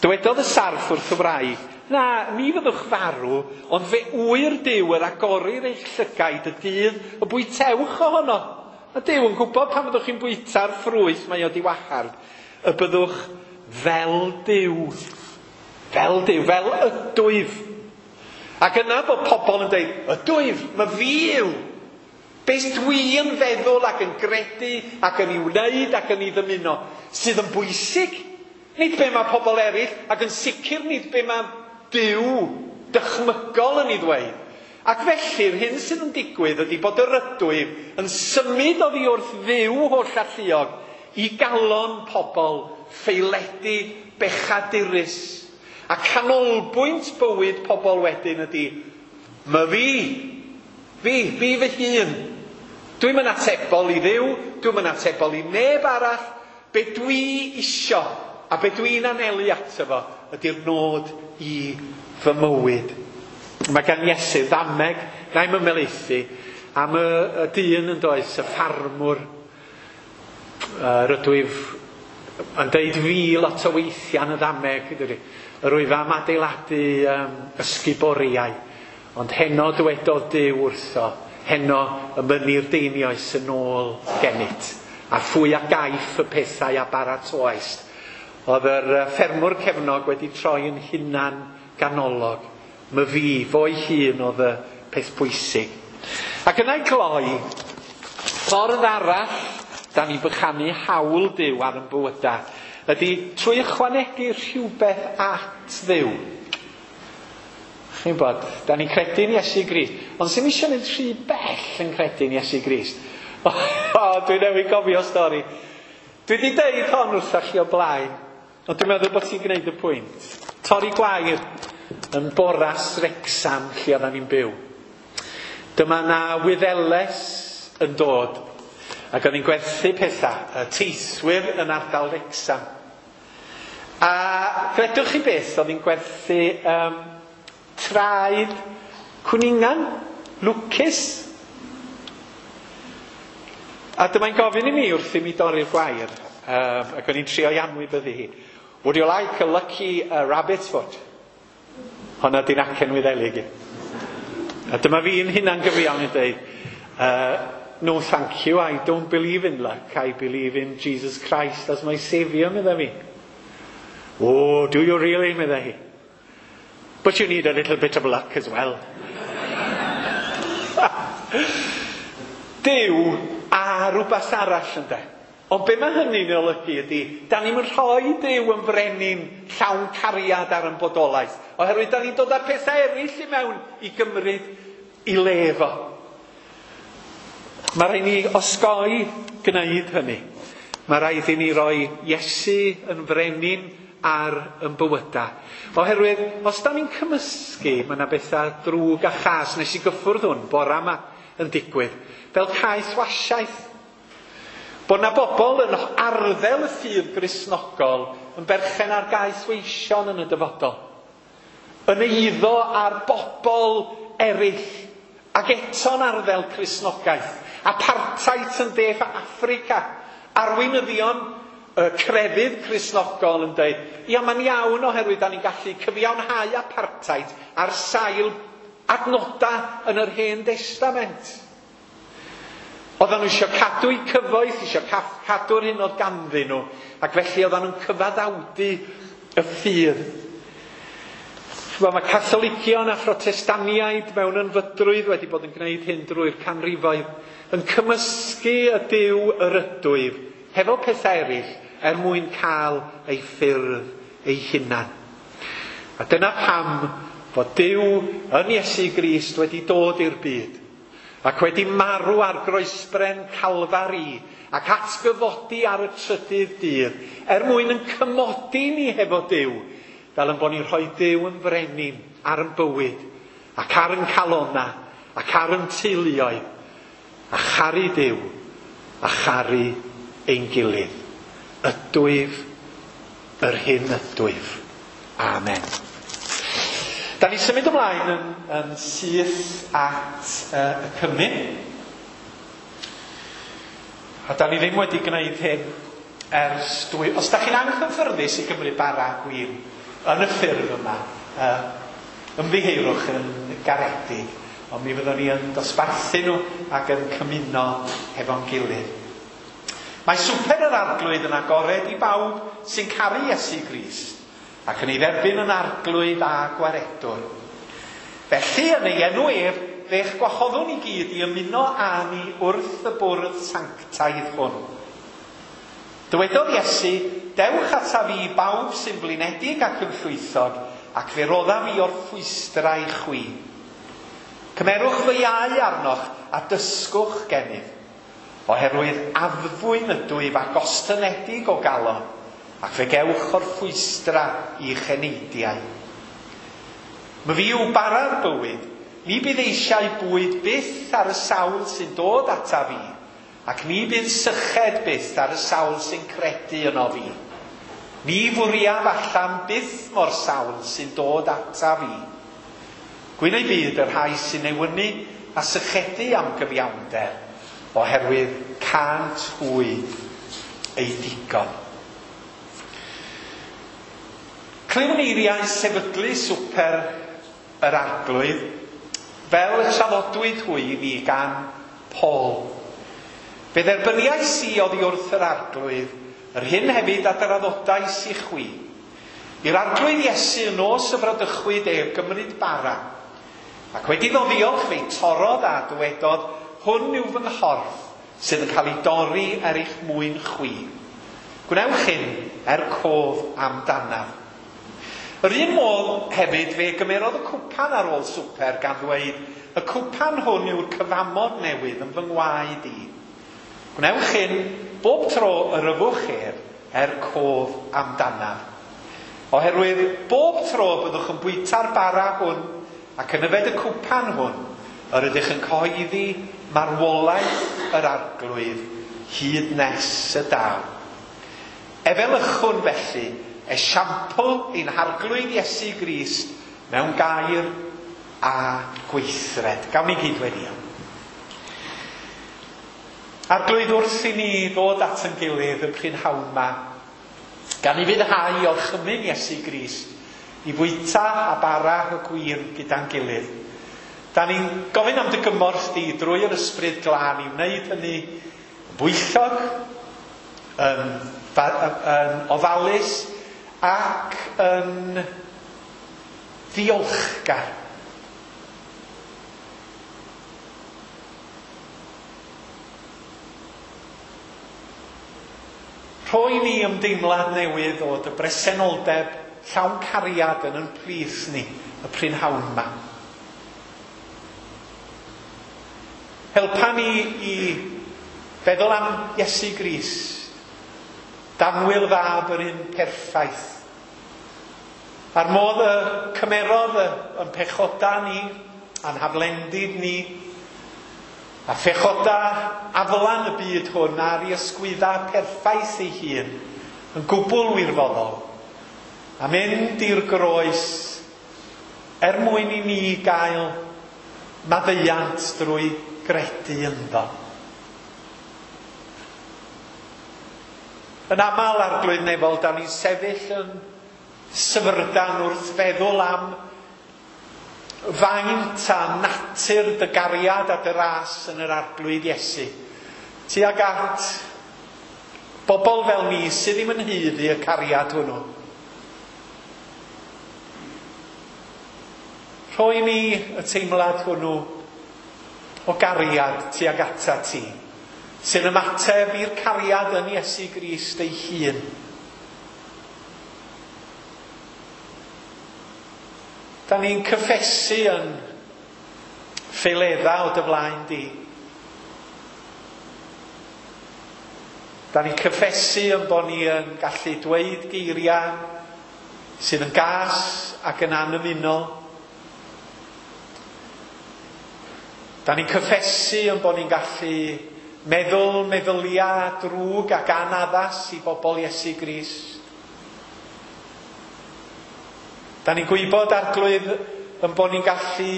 Dywedodd y sarff wrth y wraig, na, ni fyddwch farw, ond fe ŵyr Duw yr agorir eich llygaid y dydd y bwytewch ohono. A Duw yn gwybod pan fyddwch chi'n bwyta'r ffrwyth mae o di wahardd, y byddwch fel Duw. Fel Duw, fel ydwyf. Ac yna bod pobl yn dweud, ydwyf, mae fi yw. Beth dwi yn feddwl ac yn gredu ac yn ei wneud ac yn ei ddymuno sydd yn bwysig. Nid be mae pobl eraill ac yn sicr nid be mae Duw dychmygol yn ei ddweud. Ac felly'r hyn sydd yn digwydd ydy bod yr ydwyf yn symud oddi wrth Dduw holl alluog i galon pobl ffaeledig, bechadurus. A canolbwynt bywyd pobl wedyn ydy, ma fi, fi, fi fy hun. Dwi'm yn atebol i Dduw, dwi'm yn atebol i neb arall. Be dwi isio a be dwi'n anelu ato fo ydy'r nod i fy mywyd. Mae gan Iesu ddameg, na i'm ymhelaethu, am y, y dyn yn does, y ffarmwr. Uh, rydwyf yn deud fi lot o weithiau yn y ddameg, dydy. Yr wyf am adeiladu um, ysguboriau, ond heno dywedodd Duw wrtho, heno y mynir deinioes yn ôl gennyt, a phwy a gaiff y pethau a baratoaist. Oedd yr ffermwr cefnog wedi troi yn hunan ganolog. My fi, fo'i hun oedd y peth pwysig. Ac yna i gloi, ffordd arall da ni'n bychanu hawl Duw ar yn bywydau ydy trwy ychwanegu rhywbeth at Dduw. Chi'n bod, da ni'n credu'n Iesu Grist, ond sy'n eisiau mynd rhy bell yn credu'n Iesu Grist. O, o, dwi newydd gofio stori. Dwi wedi deud hon wrthach chi o blaen, ond dwi'n meddwl bod ti'n gwneud y pwynt. Torri gwair yn Boras Wrecsam lle oeddan ni'n byw. Dyma na Wyddeles yn dod ac oedd hi'n gwerthu pethau, y teithwyr yn ardal Wrecsam. A credwch chi beth, oedd hi'n gwerthu um, traed cwningan, lwcus. A dyma'n gofyn i mi wrth i mi dorri'r gwair, um, ac o'n i'n trio i anwybyddu hi. Would you like a lucky uh, rabbit's foot? Honna di'n acen Wyddelig i. A dyma fi'n hunan gyfiawn yn dweud, uh, no thank you, I don't believe in luck, I believe in Jesus Christ as my saviour, medda fi. Oh, do you really, medda hi. But you need a little bit of luck as well. Duw a rhywbeth arall ynde. Ond be mae hynny'n olygu ydy, da ni'n rhoi Duw yn frenin llawn cariad ar yn bodolaeth. Oherwydd da ni'n dod â pethau eraill i mewn i gymryd i le fo. Mae rhaid ni osgoi gwneud hynny. Mae rhaid i ni roi Iesu yn frenin ar yn bywydau. Oherwydd, os da ni'n cymysgu, mae yna bethau drwg a chas. Nes i gyffwrdd hwn bora yma yn digwydd. Fel caethwasiaeth. Bod na bobl yn arddel y ffydd Gristnogol yn berchen ar gaethweision yn y dyfodol. Yn eiddo ar bobl eraill ac eto'n arddel Cristnogaeth. Apartheid yn De Affrica. Arweinyddion y crefydd Cristnogol yn dweud, ia mae'n iawn oherwydd da ni'n gallu cyfiawnhau apartheid ar sail adnodau yn yr Hen Destament. Oedden nhw eisiau cadw eu cyfoeth, eisiau cadw'r hyn oedd ganddyn nhw, ac felly oedden nhw'n cyfaddawdu y ffydd. Mae Catholigion a Phrotestaniaid mewn ynfydrwydd wedi bod yn gwneud hyn drwy'r canrifoedd, yn cymysgu y Duw yr ydwyf hefo pethau eraill er mwyn cael ei ffyrdd ei hunan. A dyna pam fod Duw yn Iesu Grist wedi dod i'r byd ac wedi marw ar groesbren Calfari ac atgyfodi ar y trydydd dydd er mwyn yn cymodi ni hefo Duw, fel yn bod ni'n rhoi Duw yn frenin ar yn bywyd ac ar yn calona ac ar yn teuluoedd a charu Duw a charu ein gilydd. Ydwyf yr hyn ydwyf. Amen. Da ni symud ymlaen yn, yn syth at uh, y cymun. A da ni ddim wedi gwneud hyn ers dwy... Os da chi'n anghyffyrddus i gymryd bara a gwin yn y ffurf yma, uh, ymddiheurwch yn garedig, ond mi fyddwn ni yn dosbarthu nhw ac yn cymuno hefo'n gilydd. Mae swper yr Arglwydd yn agored i bawb sy'n caru Iesu Grist ac yn ei dderbyn yn arglwydd a gwaredwr. Felly, yn ei enw ef, fe'ch gwahoddwn i gyd i ymuno â ni wrth y bwrdd sanctaidd hwn. Dywedodd Iesu, dewch ataf fi bawb sy'n blinedig ac yn llwythog, ac fe roddaf i orffwystra i chwi. Cymerwch fy iau arnoch a dysgwch gennyf, oherwydd addfwyn ydw i a gostynedig o galon, ac fe gewch orffwystra i'ch eneidiau. Myfi yw bara'r bywyd, ni bydd eisiau bwyd byth ar y sawl sy'n dod ata fi, ac ni bydd syched byth ar y sawl sy'n credu yno fi. Ni fwriaf allan byth mor sawl sy'n dod ata fi. Gwyn ei byd y rhai sy'n newynu a sychedu am gyfiawnder, oherwydd cânt hwy eu digon. Clywn eiriau sefydlu swper yr Arglwydd, fel y traddodwyd hwy i fi gan Paul. Fe dderbyniais i oddi wrth yr Arglwydd, yr hyn hefyd a draddodais i chwi. I'r Arglwydd Iesu yn nos y bradychwyd ef gymryd bara, ac wedi iddo ddiolch fe'i torrodd a dywedodd, hwn yw fy nghorff sydd yn cael ei dorri er eich mwyn chwi. Gwnewch hyn er cof amdanaf. Yr un modd hefyd fe gymerodd y cwpan ar ôl swper gan ddweud, y cwpan hwn yw'r cyfamod newydd yn fy ngwaed i. Gwnewch hyn bob tro yr yfwch ef er cof amdanaf. Oherwydd bob tro byddwch yn bwyta'r bara hwn ac yn yfed y cwpan hwn, yr ydych yn cyhoeddi marwolaeth yr Arglwydd hyd nes y daw. Efelychwn felly esiampl ein Harglwydd Iesu Grist mewn gair a gweithred. Gawn ni gyd weddio. Arglwydd, wrth i ni ddod at ein gilydd y prynhawn ma, gan i fyddhau orchymyn Iesu Grist i fwyta a bara y gwin gyda'n gilydd. Da ni'n gofyn am dy gymorth di drwy yr Ysbryd Glân i wneud hynny yn bwyllog, yn, yn ofalus ac yn ddiolchgar. Rhoi ni ymdeimlad newydd o dy bresenoldeb llawn cariad yn yn plith ni y prynhawn ma. Helpa ni i feddwl am Iesu Grist, danwyl fab yr un perffaith. A'r modd y cymerodd yn pechoda ni, a'n haflendid ni, a phechoda aflan y byd hwn ar ei ysgwydda perffaith ei hun, yn gwbl wirfoddol, a mynd i'r groes er mwyn i ni gael maddeuant drwy gredu ynddo. Yn aml, Arglwydd Nefol, da ni'n sefyll yn syfrdan wrth feddwl am faint a natur dy gariad a dy ras yn yr Arglwydd Iesu. Tuag at bobl fel ni sydd ddim yn haeddu y cariad hwnnw. Rhoi ni y teimlad hwnnw o gariad tuag ata ti, sy'n ymateb i'r cariad yn Iesu Grist ei hun. Da ni'n cyffesu yn ffaeledda o dy flaen di. Da ni'n cyffesu yn bod ni yn gallu dweud geiriau sydd yn gas ac yn anymunol. Da ni'n cyffesu yn bod ni'n gallu meddwl meddyliau drwg ac anaddas i bobl Iesu Grist. Da ni'n gwybod, Arglwydd, yn bod ni'n gallu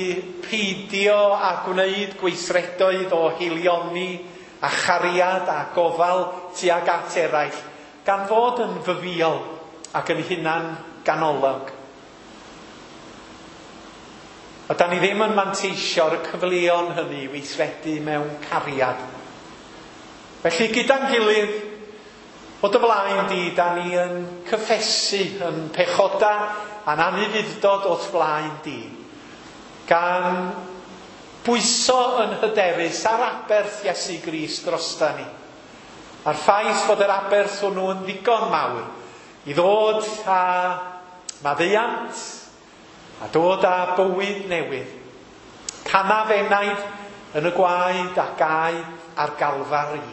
peidio a gwneud gweithredoedd o haelioni a chariad a gofal tuag at eraill, gan fod yn fyfiol ac yn hunan ganolog. A da ni ddim yn manteisio ar y cyfleon hynny i weithredu mewn cariad. Felly gyda'n gilydd, o dy flaen di, da ni yn cyffesu, yn pechoda a'n anufudd-dod o'th flaen di, gan bwyso yn hyderus ar aberth Iesu Grist drosta ni. A'r ffaith fod yr aberth hwnnw yn ddigon mawr i ddod â maddeuant a dod â bywyd newydd. Canaf enaid yn y gwaed a gaed ar Galfari.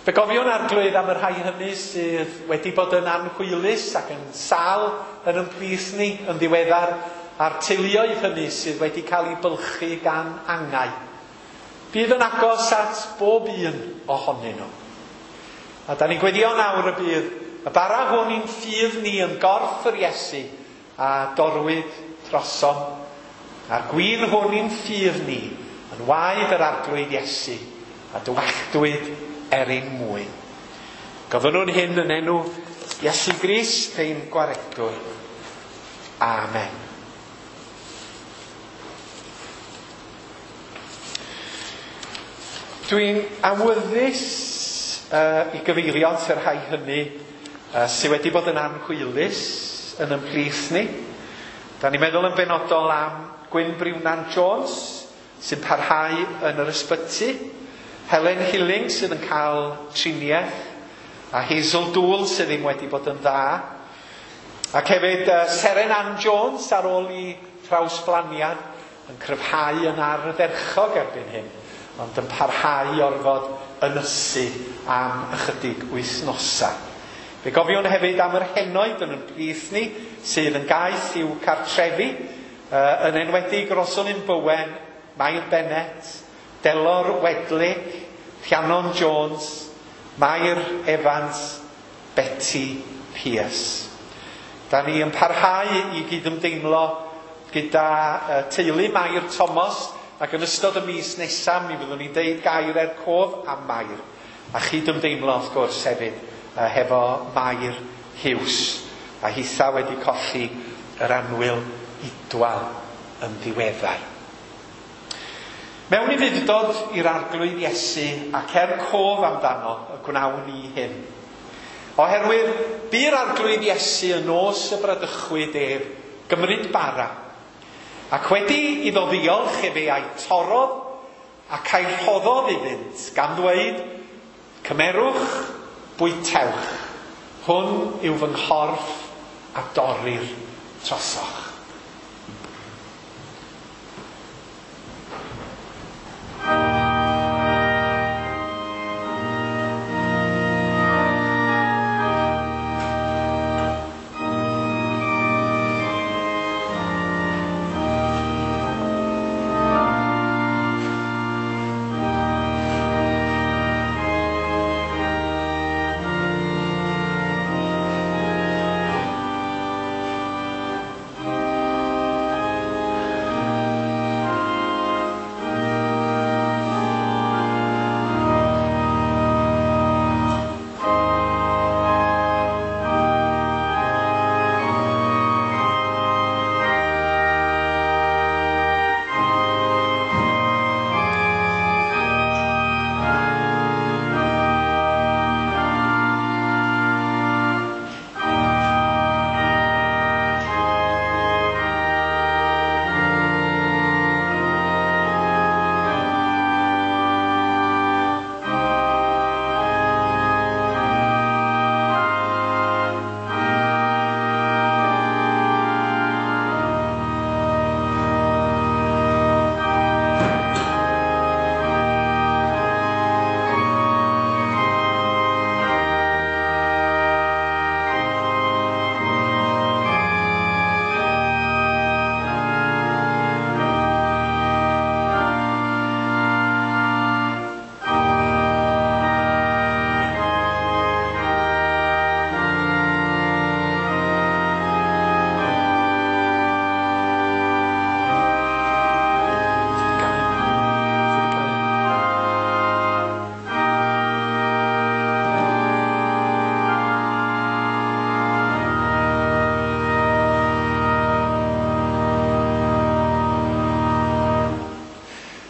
Fe gofiwn Arglwydd am y rhai hynny sydd wedi bod yn anhwylus ac yn sâl yn ein plith ni yn ddiweddar, a'r teuluoedd hynny sydd wedi cael eu bylchu gan angau. Bydd yn agos at bob un ohonyn nhw. A da ni'n gweddio nawr y bydd y bara hwn i'n ffydd ni yn gorff yr Iesu a dorwyd drosom, a'r gwin hwn i'n ffydd ni yn waed yr Arglwydd Iesu a dywalltwyd er ein mwyn. Gofynnwn hyn yn enw Iesu Grist ein Gwaredwr. Amen. Dwi'n awyddus uh, i gyfeirio at y rhai hynny uh, sydd wedi bod yn anhwylus yn ymhlith ni. Da ni'n meddwl yn benodol am Gwyn Briwnan Jones sy'n parhau yn yr ysbyty, Helen Hilling sydd yn cael triniaeth, a Hazel Dool sydd ddim wedi bod yn dda, ac hefyd uh, Seren Ann Jones ar ôl i trawsblaniad yn cryfhau yn ardderchog erbyn hyn, ond yn parhau i orfod ynysu am ychydig wythnosau. Fe gofiwn hefyd am yr henoed yn ein plith ni sydd yn gaeth i'w cartrefi, uh, yn enwedig Rosalind Bowen, Mair Bennett, Delor Wedley, Rhiannon Jones, Mair Evans, Betty Pierce. Da ni yn parhau i gydymdeimlo gyda uh, teulu Mair Thomas, ac yn ystod y mis nesaf mi fyddwn ni'n deud gair er cof am Mair, a chydymdeimlo wrth gwrs hefyd uh, hefo Mair Hughes, a hitha wedi colli yr annwyl Idwal yn ddiweddar. Mewn ufudd-dod i'r Arglwydd Iesu ac er cof amdano y gwnawn ni hyn. Oherwydd bu'r Arglwydd Iesu yn nos y bradychwyd ef gymryd bara, ac wedi iddo ddiolch efe a'i torrodd ac a'i rhoddodd iddynt, gan ddweud, cymerwch, bwytewch, hwn yw fy nghorff a dorrir trosoch.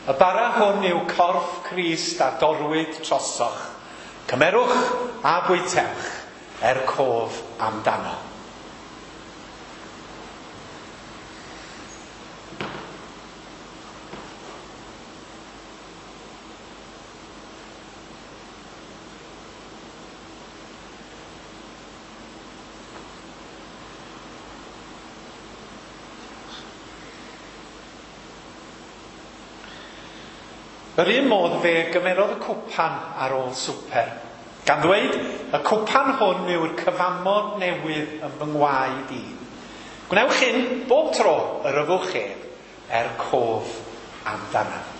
Y bara hwn yw corff Crist a dorwyd trosoch. Cymerwch a bwytewch er cof amdano. Yr un modd fe gymerodd y cwpan ar ôl swper, gan ddweud, y cwpan hwn yw'r cyfamod newydd yn fy ngwaed i. Gwnewch hyn bob tro yr yfwch ef er cof amdanaf.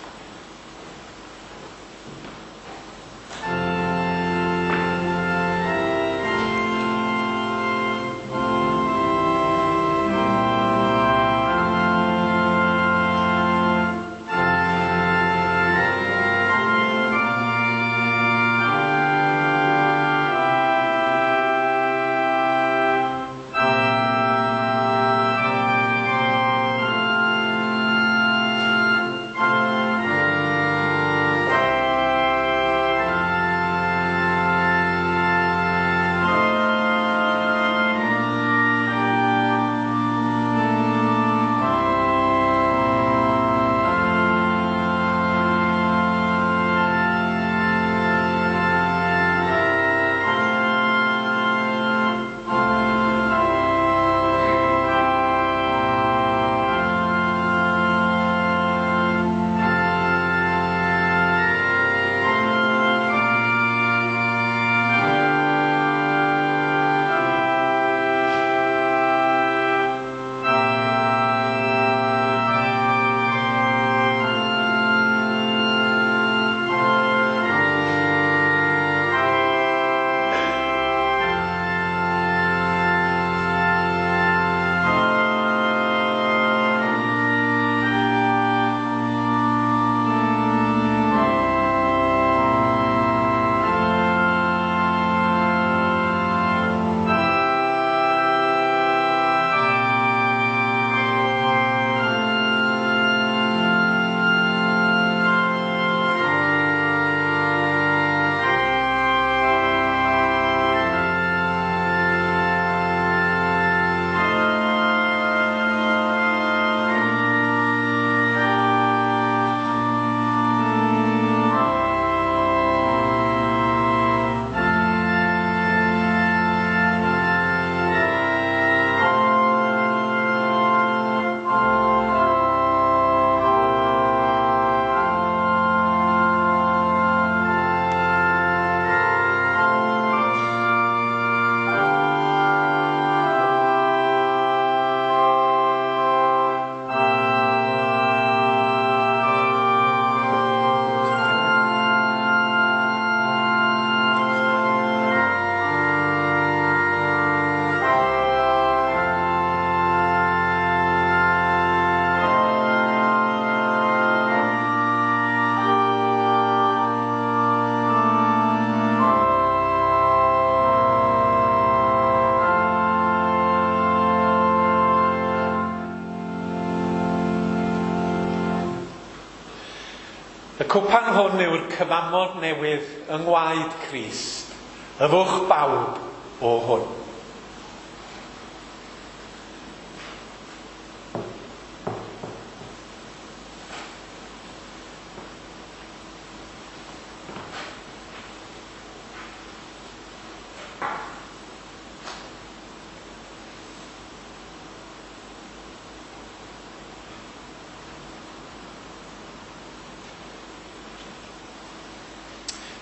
Y cwpan hwn yw'r cyfamod newydd yng ngwaed Crist, yfwch bawb o hwn.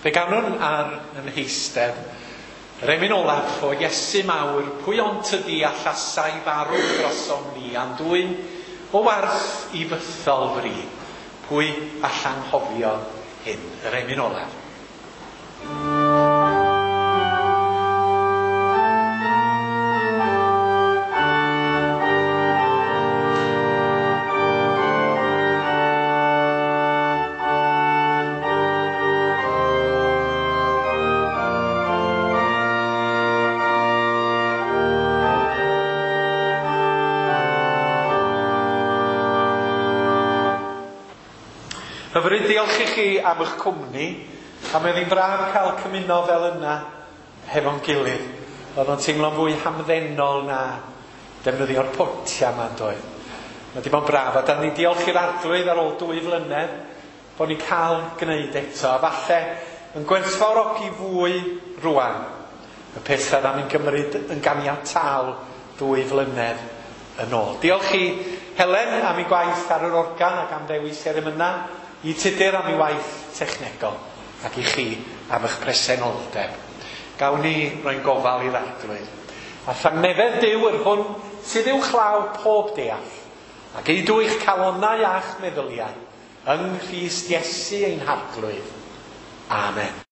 Fe ganwn ar yn heistedd, yr emyn olaf o Iesu mawr, pwy ond tydi allasai farw drosom ni, a'n dwyn o warth i fythol fri, pwy allan hofio hyn, yr emyn olaf. Hyfryd, diolch i chi am eich cwmni, a mi oedd hi'n braf cael cymuno fel yna hefo'n gilydd. Oedd o'n teimlo'n fwy hamddenol na defnyddio'r potia yma, doedd. Mae di bod yn braf, a da ni'n diolch i'r Arglwydd ar ôl dwy flynedd bod ni'n cael gwneud eto, a falle yn gwerthfawrogi fwy rwan y pethau dda ni'n gymryd yn ganiataol dwy flynedd yn ôl. Diolch i Helen am ei gwaith ar yr organ ac am ddewis yr emynau. i Tudur am ei waith technegol ac i chi am eich presenoldeb. Gawn ni roi'n gofal i'r Arglwydd. A thangnefedd Duw yr hwn sydd uwchlaw pob deall, ac geidw eich calonnau a'ch meddyliau yng Nghrist Iesu ein Harglwydd. Amen.